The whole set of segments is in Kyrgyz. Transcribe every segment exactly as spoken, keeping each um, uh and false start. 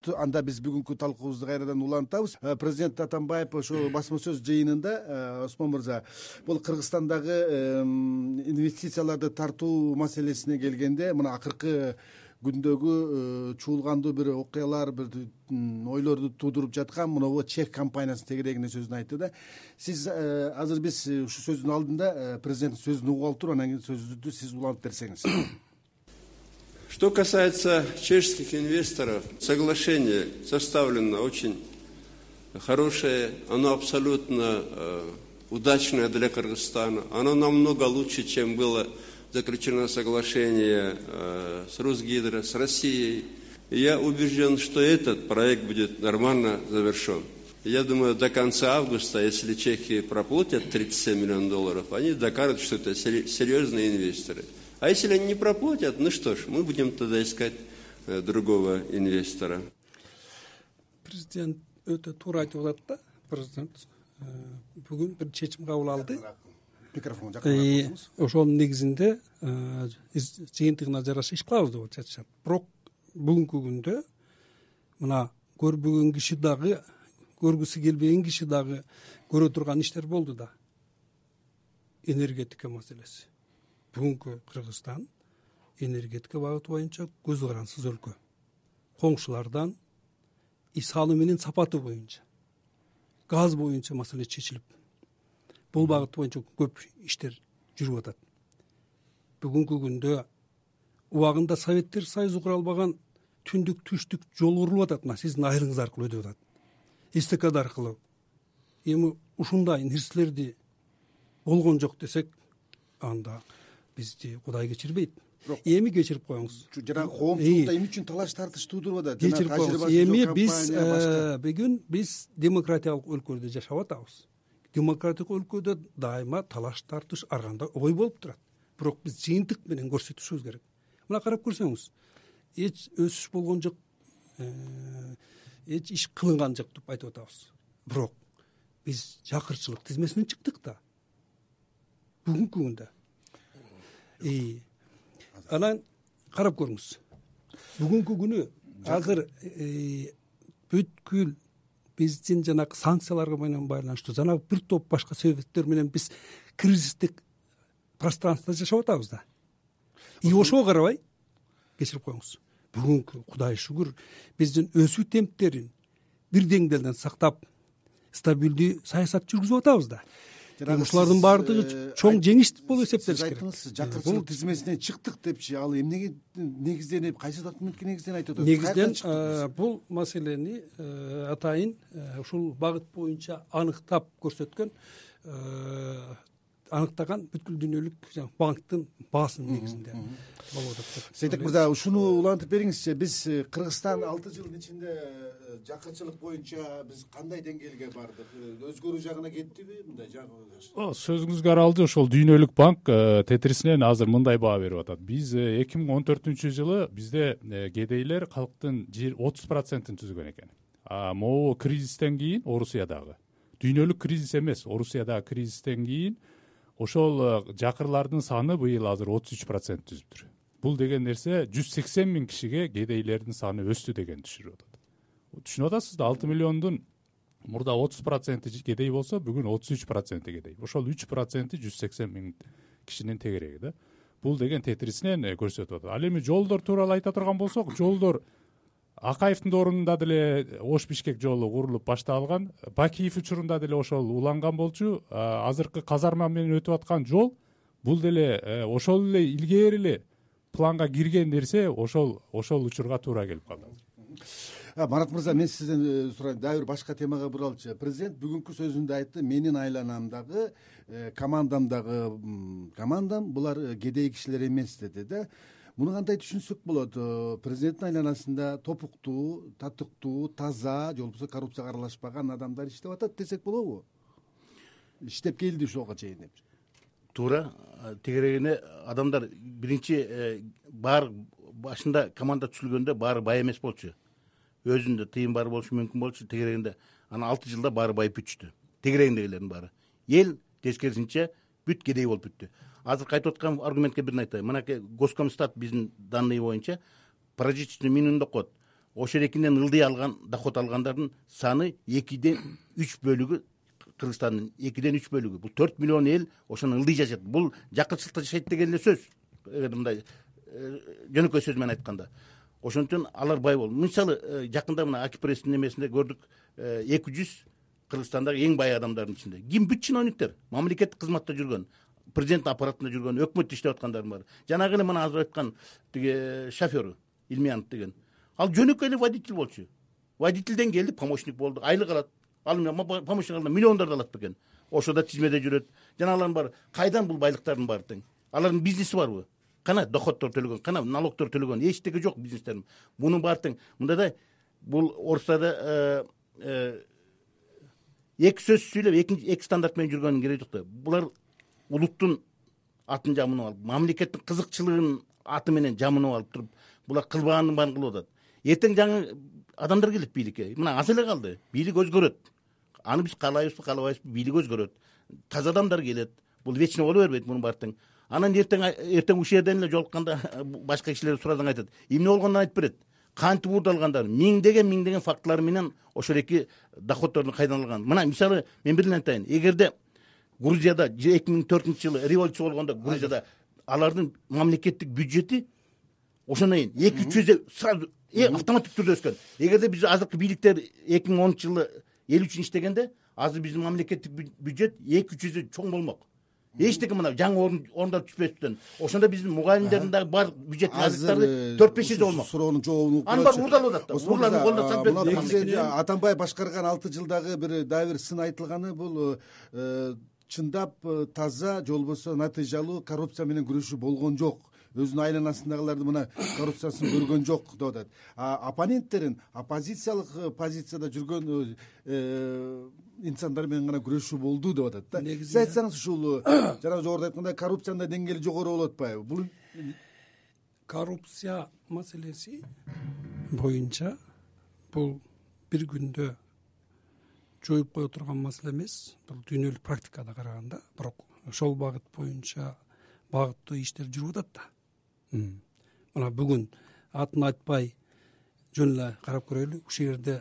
Анда биз бүгүнкү талкуубузду кайрадан улантабыз. Президент Атамбаев ошо басма сөз жыйынында, Осмон мырза, бул Кыргызстандагы инвестицияларды тартуу маселесине келгенде, мына акыркы күндөгү чуулгандуу бир окуялар, бир ойлорду туудуруп жаткан мына чех компаниясынын тегерегине сөзүн айтты да. Сиз азыр биз ушу сөздүн алдында президенттин сөзүн угуп алып туруп, анан кийин сөзүңүздү сиз улантып берсеңиз. Что касается чешских инвесторов, соглашение составлено очень хорошее, оно абсолютно э, удачное для Кыргызстана. Оно намного лучше, чем было заключено соглашение э, с Русгидро, с Россией. И я убежден, что этот проект будет нормально завершен. Я думаю, до конца августа, если чехи проплатят тридцать семь миллионов долларов, они докажут, что это серьезные инвесторы. А если они не проплатят, ну что ж, мы будем тогда искать э, другого инвестора. Президент өтө туура айтып атат да. Президент бүгүн бир чечим кабыл алды. Микрофон жакын. Ошонун негизинде жыйынтыгына жараша иш кылабыз деп айтышат. Бирок бүгүнкү күндө мына көрбөгөн киши дагы, көргүсү келбеген киши дагы көрө турган иштер болду да. Энергетика маселеси. Бүгүнкү Кыргызстан энергетика багыты боюнча көз карансыз өлкө. Коңшулардан и саны менен сапаты боюнча, газ боюнча маселе чечилип, бул багыт боюнча көп иштер жүрүп атат. Бүгүнкү күндө убагында Советтер Союзу куралбаган түндүк түштүк жол курулуп атат. Мына сиздин айылыңыз аркылуу өтүп атат. Эстакада аркылуу. Эми ушундай нерселерди болгон жок десек, анда бизди Кудай кечирбейт. Эми кечирип коюңуз. Жанагы коомчулукта эмне үчүн талаш тартыш туудуруп атат? Кечирип коюңуз. Эми биз бүгүн биз демократиялык өлкөдө жашап атабыз. Демократиялык өлкөдө дайыма талаш тартыш ар кандай ой болуп турат. Бирок биз жыйынтык менен көрсөтүшүбүз керек. Мына карап көрсөңүз, эч өсүш болгон жок, эч иш кылынган жок деп айтып атабыз. Бирок биз жакырчылык тизмесинен чыктык да. Бүгүнкү күндө. И анан карап көрүңүз. Бүгүнкү күнү азыр бүткүл биздин жанагы санкцияларга менен байланыштуу жанагы бир топ башка себептер менен биз кризистик пространствода жашап атабыз да. И ошого карабай кечирип коюңуз. Бүгүнкү Кудай шүгүр биздин өсүү темптерин бир деңгээлден сактап, стабилдүү саясат жүргүзүп атабыз да. Ушулардын баардыгы чоң жеңиш болуп эсептелиш керек. Жакырчылык тизмесинен чыктык депчи, ал эмнеге негизденип, кайсы документке негизденип айтып атат? Негизден бул маселени атайын ушул багыт боюнча аныктап көрсөткөн, аныктаган бүткүл дүйнөлүк банктын баасынын негизинде болуп атат. Сейтек мырза, ушуну улантып бериңизчи. Биз Кыргызстан алты жылдын ичинде жакырчылык боюнча биз кандай деңгээлге бардык? Өзгөрүү жагына кеттиби мындай жагы? Сөзүңүзгө аралды, ошол дүйнөлүк банк тетрисинен азыр мындай баа берип атат. Биз эки миң он төртүнчү жылы бизде кедейлер калктын отуз процентин түзгөн экен. А могу кризистен кийин Орусиядагы дүйнөлүк кризис эмес, Орусиядагы кризистен кийин ошол жакырлардын саны быйыл азыр отуз үч процент түзүптүр. Бул деген нерсе жүз сексен миң кишиге кедейлердин саны өстү деген түшүрүп атат. Түшүнүп атасыз да, алты миллиондун мурда отуз проценти кедей болсо, бүгүн отуз үч проценти кедей. Ошол үч проценти жүз сексен миң кишинин тегереги да. Бул деген тетрисинен көрсөтүп атат. Ал эми жолдор тууралуу айта турган болсок, жолдор Акаевдин ордунда деле Ош-Бишкек жолу курулуп башталган. Бакиев учурунда деле ошол уланган болчу. Азыркы казарма менен өтүп аткан жол бул деле ошол эле илгери эле планга кирген нерсе, ошол ошол учурга туура келип калды. Марат мырза, мен сизден сурайм, дагы бир башка темага буралчы. Президент бүгүнкү сөзүндө айтты, менин айланамдагы, командамдагы командам булар кедей кишилер эмес деди да. Муну кандай түшүнсөк болот? Президенттин айланасында топуктуу, татыктуу, таза, же болбосо коррупцияга аралашпаган адамдар иштеп атат десек болобу? Иштеп келди ушуга чейин деп. Туура, тегерегине адамдар биринчи баары башында команда түзүлгөндө баары бай эмес болчу. Өзүндө тыйын бар болушу мүмкүн болчу, тегерегинде анан алты жылда баары байып бүтчү. Тегерегиндегилердин баары. Эл тескерисинче бүт кедей болуп бүттү. Азыр кайтып аткан аргументке бирин айтайын. Мынакей Госкомстат биздин данные боюнча прожиточный минимумду окот. ошол эркинен ылдый алган доход алгандардын саны экиден үч бөлүгү, Кыргызстандын экиден үч бөлүгү, бул төрт миллион эл ошону ылдый жашайт. Бул жакынчылыкта жашайт деген эле сөз, эгер мындай жөнөкөй сөз менен айтканда. Ошон үчүн алар бай болду. Мисалы жакында мына Акипресстин немесинде көрдүк, эки жүз Кыргызстандагы эң бай адамдардын ичинде ким? Бүт чиновниктер, мамлекеттик кызматта жүргөн, президент аппаратында жүргөн, өкмөттө иштеп аткандар бар. Жанагы эле мына азыр айткан тиги шофёру Илмиянов деген. Ал жөнөкөй эле водитель болчу. Водительден келди, помощник болду, айлык алат. Ал помощник алганда миллиондарды алат бекен. Ошода тизмеде жүрөт. Жанагылар бар. Кайдан бул байлыктардын баары тең? Алардын бизнеси барбы? Кана доходдор төлөгөн, кана налогдор төлөгөн, эчтеги жок бизнестердин. Мунун баары тең. Мында да бул Орустада эки сөз сүйлөп, эки стандарт менен жүргөнүн кереги жок да. Булар улуттун атын жамынып алып, мамлекеттин кызыкчылыгынын аты менен жамынып алып туруп, булар кылбаганын баарын кылып атат. Эртең жаңы адамдар келет бийликке. Мына аз эле калды. Бийлик өзгөрөт. Аны биз каалайбызбы, каалабайбызбы, бийлик өзгөрөт. Таза адамдар келет. Бул вечно боло бербейт мунун баары тең. Анан эртең эртең ушул жерден эле жолукканда башка кишилер сурадан айтат. Эмне болгонун айтып берет. Кантип уурдалгандар, миңдеген миңдеген фактылар менен ошол эки доходдордун кайдан алган. Мына мисалы мен бир эле айтайын. Эгерде Грузияда эки миң төртүнчү жылы революция болгондо Грузияда алардын мамлекеттик бюджети ошондон кийин эки жүз сразу автоматтык түрдө өскөн. Эгерде биз азыркы бийликтер эки миң онунчу жылы эл үчүн иштегенде, азыр биздин мамлекеттик бюджет эки жүз чоң болмок. Эчтеке мына жаңы орундар түшпөстөн. Ошондо биздин мугалимдердин дагы бар бюджеттик азыктары төрт беш эсе болмок. Суроонун жообун аны бар уурдалып атат да. Уурларын колдо сап Атамбаев башкарган алты жылдагы бир дагы бир сын айтылганы бул чындап таза же болбосо натыйжалуу коррупция менен күрөшүү болгон жок. Өзүнүн айланасындагыларды мына коррупциясын көргөн жок деп атат. Оппоненттерин оппозициялык позицияда жүргөн инсандар менен гана күрөшүү болду деп атат да. Сиз айтсаңыз ушул жана жогоруда айткандай коррупциянын деңгээли жогору болуп атпайбы? Бул коррупция маселеси боюнча бул бир күндө жоюп кое турган маселе эмес. Бул дүйнөлүк практикада караганда, бирок ошол багыт боюнча багыттуу иштер жүрүп атат да. Мына бүгүн атын айтпай жөн эле карап көрөлү. Ушул жерде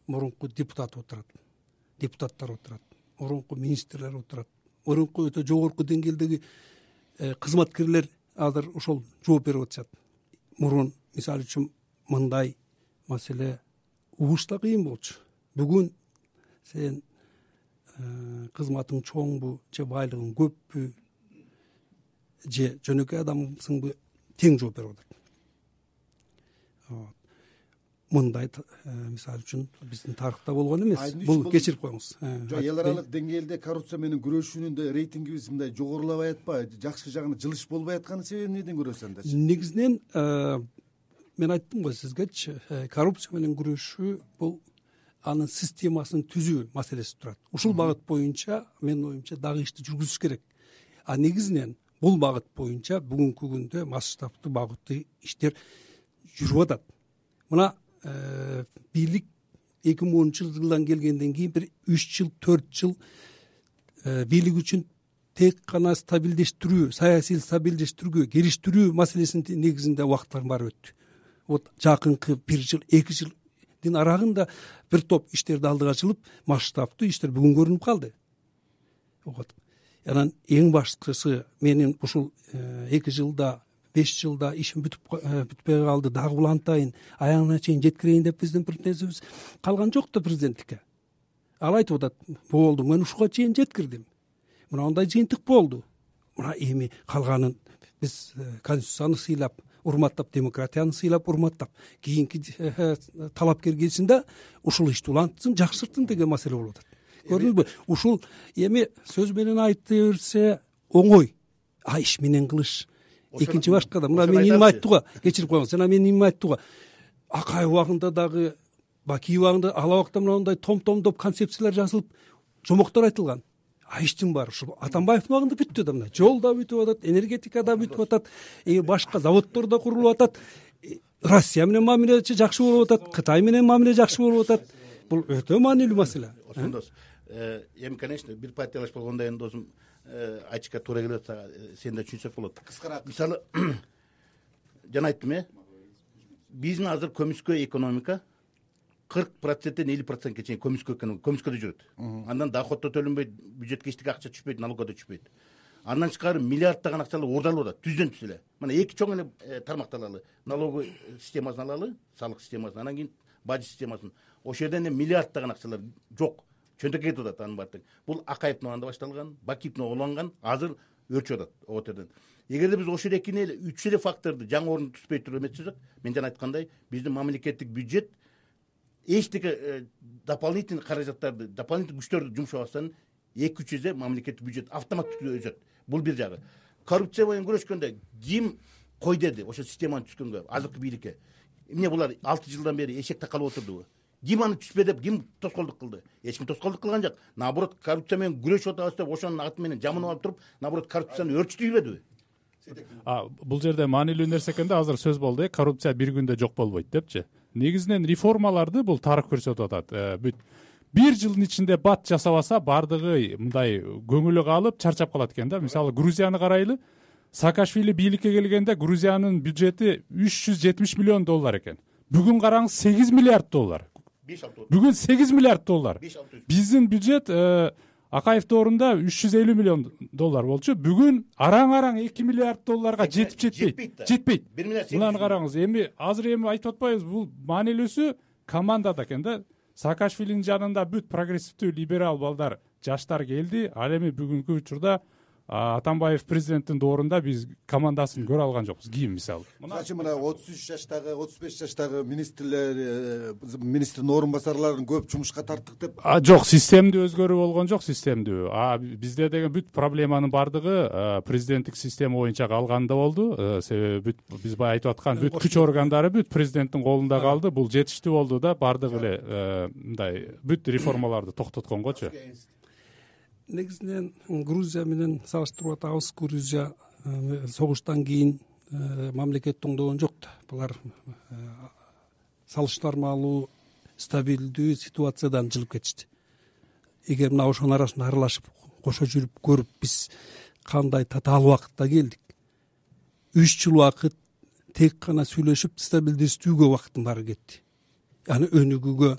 мурунку депутат отурат, депутаттар отурат, мурунку министрлер отурат, мурунку өтө жогорку деңгээлдеги кызматкерлер азыр ошол жооп берип атышат. Мурун мисалы үчүн мындай маселе угушта кыйын болчу. Бүгүн сен кызматың чоңбу же байлыгың көппү же жөнөкөй адамсыңбы тең жооп берип атат. Мындай мисалы үчүн биздин тарыхта болгон эмес. Бул кечирип коюңуз. Эл аралык деңгээлде коррупция менен күрөшүүнүн да рейтингибиз мындай жогорулабай атпайбы? Жакшы жагына жылыш болбой атканын себеби эмнеден көрөсүз анда? Негизинен мен айттым го сизгечи, коррупция менен күрөшүү бул анын системасын түзүү маселеси турат. Ушул багыт боюнча менин оюмча дагы ишти жүргүзүш керек. А негизинен бул багыт боюнча бүгүнкү күндө масштабтуу багыттуу иштер жүрүп атат. Мына бийлик эки миң онунчу жылдан келгенден кийин бир үч жыл, төрт жыл бийлик үчүн тек гана стабилдештирүү, саясий стабилдештирүүгө, келиштирүү маселесинин негизинде убакыттар баары өттү. Вот жакынкы бир жыл, эки жылдын арагында бир топ иштерди алдыга чыгып, масштабтуу иштер бүгүн көрүнүп калды. Анан эң башкысы менин ушул эки жылда, беш жылда ишим бүтүп бүтпөй калды, дагы улантайын, аягына чейин жеткирейин деп биздин бир нерсебиз калган жок да президенттикке. Ал айтып атат, болду, мен ушуга чейин жеткирдим. Мына ондай жыйынтык болду. Мына эми калганын биз конституцияны сыйлап, урматтап, демократияны сыйлап, урматтап, кийинки талапкер келсин да ушул ишти улантсын, жакшыртсын деген маселе болуп атат. Көрдүңүзбү? Ушул эми сөз менен айта берсе оңой, а иш менен кылыш экинчи башка да. Мына мен эмне айттыга, кечирип коюңуз. Жана мен эмне айттыга, Акай убагында дагы, Бакий убагында, ал убакта мындай том-томдоп концепциялар жазылып, жомоктор айтылган. А иштин баары ушул Атамбаевдин убагында бүттү да. Мына жол да бүтүп атат, энергетика да бүтүп атат, башка заводдор да курулуп атат. Россия менен мамиле жакшы болуп атат, Кытай менен мамиле жакшы болуп атат. Бул өтө маанилүү маселе. Ошондос эми конечно бир партиялаш болгондо эми досум айтышка туура келип атса, сен да түшүнсөк болот. Кыскараак. Мисалы жана айттым, э биздин азыр көмүскө экономика кырк проценттен элүү процентке чейин көмүскө көмүскөдө жүрөт. Андан доход да төлөнбөйт, бюджетке эчтеке акча түшпөйт, налогго да түшпөйт. Андан тышкары миллиарддаган акчалар ордалып атат, түздөн түз эле. Мына эки чоң эле тармакты алалы. Налоговый системасын алалы, салык системасын, анан кийин бажы системасын. Ошол жерден эле миллиарддаган акчалар жок. Чөнтөккө кетип атат анын баардыгы. Бул Акаевдин убагында башталган, Бакиевдин уланган, азыр өрчүп атат о жерден. Эгерде биз ошол экини эле үч эле факторду жаңы орун түспөй туруп эметсек, мен жана айткандай, биздин мамлекеттик бюджет эчтеке дополнительный каражаттарды, дополнительный күчтөрдү жумшабастан эки үч эсе мамлекеттик бюджет автоматтуу өсөт. Бул бир жагы. Коррупция менен күрөшкөндө ким кой деди ошо системаны түзгөнгө, азыркы бийликке? Эмне булар алты жылдан бери эшек такалып отурдубу? Ким аны түзбө деп, ким тоскоолдук кылды? Эч ким тоскоолдук кылган жок. Наоборот, коррупция менен күрөшүп атабыз деп ошонун аты менен жаманап алып туруп, наоборот, коррупцияны өрчүтүбөдүбү? А бул жерде маанилүү нерсе экенде, азыр сөз болду, коррупция бир күндө жок болбойт депчи. Негизинен реформаларды бул тарых көрсөтүп атат. Бүт бир жылдын ичинде бат жасабаса, бардыгы мындай көңүлү калып, чарчап калат экен да. Мисалы, Грузияны карайлы. Саакашвили бийликке келгенде Грузиянын бюджети үч жүз жетимиш миллион доллар экен. Бүгүн караңыз сегиз миллиард доллар. Бүгүн сегиз миллиард доллар. Биздин бюджет Акаев доорунда үч жүз элүү миллион доллар болчу. Бүгүн араң-араң эки миллиард долларга жетип жетпейт. Жетпейт. Мынаны караңыз. Эми азыр эми айтып атпайбыз, бул маанилүүсү командада экен да. Саакашвилинин жанында бүт прогрессивдүү либерал балдар, жаштар келди. Ал эми бүгүнкү учурда Атамбаев президенттин доорунда биз командасын көрө алган жокпуз. Кийин мисалы. Мына мына отуз үч жаштагы, отуз беш жаштагы министрлер, министрдин орун басарларын көп жумушка тарттык деп. А жок, системдүү өзгөрүү болгон жок, системдүү. А бизде деген бүт проблеманын бардыгы президенттик система боюнча калганда болду. Себеби бүт биз бай айтып аткан бүт күч органдары бүт президенттин колунда калды. Бул жетиштүү болду да, бардыгы эле мындай бүт реформаларды токтотконгочу. Негизинен Грузия менен салыштырып атабыз. Грузия согуштан кийин мамлекет оңдогон жок да. Булар салыштырмалуу стабилдүү ситуациядан жылып кетишти. Эгер мына ошонун арасында аралашып кошо жүрүп көрүп биз кандай татаал убакытта келдик. үч жыл убакыт тек гана сүйлөшүп стабилдештүүгө убакыттын баары кетти. Аны өнүгүүгө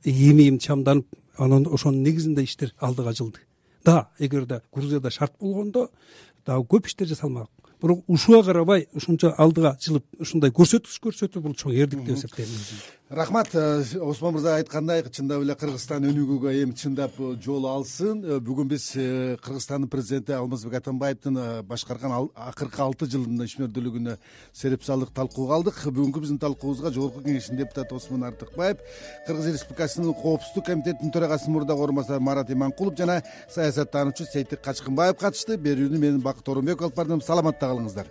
эми-эми чамданып, анан ошонун негизинде иштер алдыга жылды. Да, эгерде Грузияда шарт болгондо дагы көп иштер жасалмак. Бирок ушуга карабай ушунча алдыга жылып ушундай көрсөткүч көрсөтүү бул чоң эрдик деп эсептейм. Рахмат. Осмон мырза айткандай, чындап эле Кыргызстан өнүгүүгө эми чындап жол алсын. Бүгүн биз Кыргызстандын президенти Алмазбек Атамбаевдин башкарган акыркы алты жылдын ишмердүүлүгүнө сереп салык талкууга алдык. Бүгүнкү биздин талкуубузга Жогорку Кеңештин депутаты Осмон Артыкбаев, Кыргыз Республикасынын Коопсуздук комитетинин төрагасынын мурдагы орун басары Марат Иманкулов жана саясаттануучу Сейтик Качкынбаев катышты. Берүүнү мен Бакыт Оронбеков алып бардым. Саламатта калыңыздар.